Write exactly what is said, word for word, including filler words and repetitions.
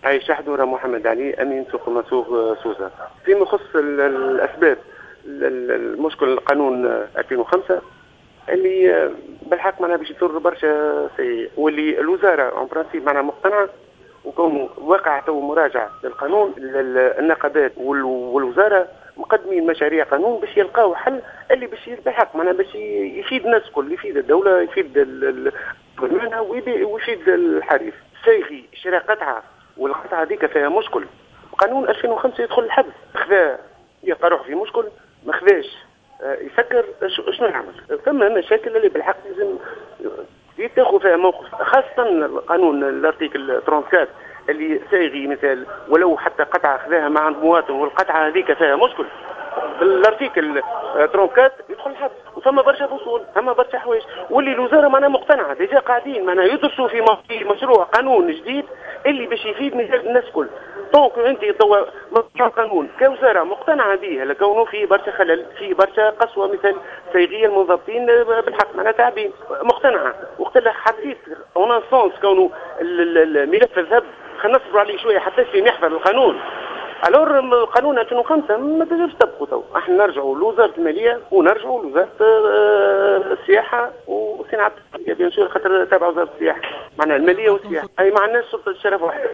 عايش حدوره محمد علي، امين سوق مسوق سوسه. فيما يخص الاسباب، المشكل القانون ألفين وخمسة اللي بالحق معناها باش يضر برشا سيء، واللي الوزارة en principe معناها مقتنعة، وكون وقع تو مراجعه للقانون، النقابات والوزارة مقدمين مشاريع قانون باش يلقاو حل اللي باش بالحق معناها باش يفيد الناس الكل، يفيد الدوله، يفيد المهنة ويفيد الحريف. سايغي شرا قطعه والقطعه هذيك فيها مشكل، قانون ألفين وخمسة يدخل الحبس، خذا يلقى روحه في مشكل، ما خذاش يسكر، شنو يعمل؟ ثم مشاكل اللي بالحق لازم تاخذ فيها موقف، خاصة القانون ال article أربعة وثلاثين اللي سايغي مثال ولو حتى قطعة خذاها مع عند مواطن والقطعة هذيك فيها مشكل، بال article أربعة وثلاثين يدخل الحبس. وثم برشا فصول، ثم برشا حوايج، واللي الوزارة معناها مقتنعة déjà قاعدين معناها يدرسوا في مشروع قانون جديد اللي باش يفيد مثال الناس الكل. donc انت توا مشروع قانون كوزارة مقتنعة به، لكونه فيه برشا خلل، فيه برشا قسوة، مثال سيغيه المنضبطين بالحق معناها تعبين، مقتنعة. وقت اللي حطيت en un sens كونه الملف الذهب خلينا نصبروا عليه شوية حتى في يحفظ القانون. alors قانون ألفين وخمسة ما تنجمش تطبقوا تو، احنا نرجعوا لوزارة المالية ونرجعوا لوزارة السياحة وصناعة، bien sûr خاطر تابعه وزارة السياحة، معناها المالية والسياحة، اي ما عندناش سلطة الشرف واحدة.